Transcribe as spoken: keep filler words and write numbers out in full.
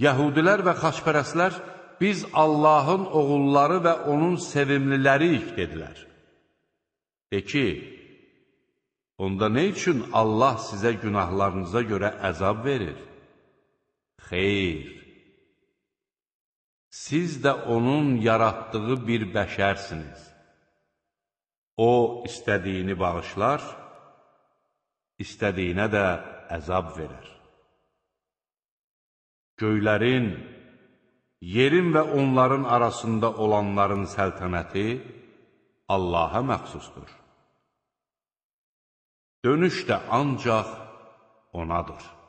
Yəhudilər və xaçpərəstlər, biz Allahın oğulları və onun sevimliləriyik, dedilər. De ki, onda nə üçün Allah sizə günahlarınıza görə əzab verir? Xeyr, siz də onun yaratdığı bir bəşərsiniz. O, istədiyini bağışlar, istədiyinə də əzab verir. Göylərin, yerin və onların arasında olanların səltənəti Allaha məxsusdur. Dönüş də ancaq onadır.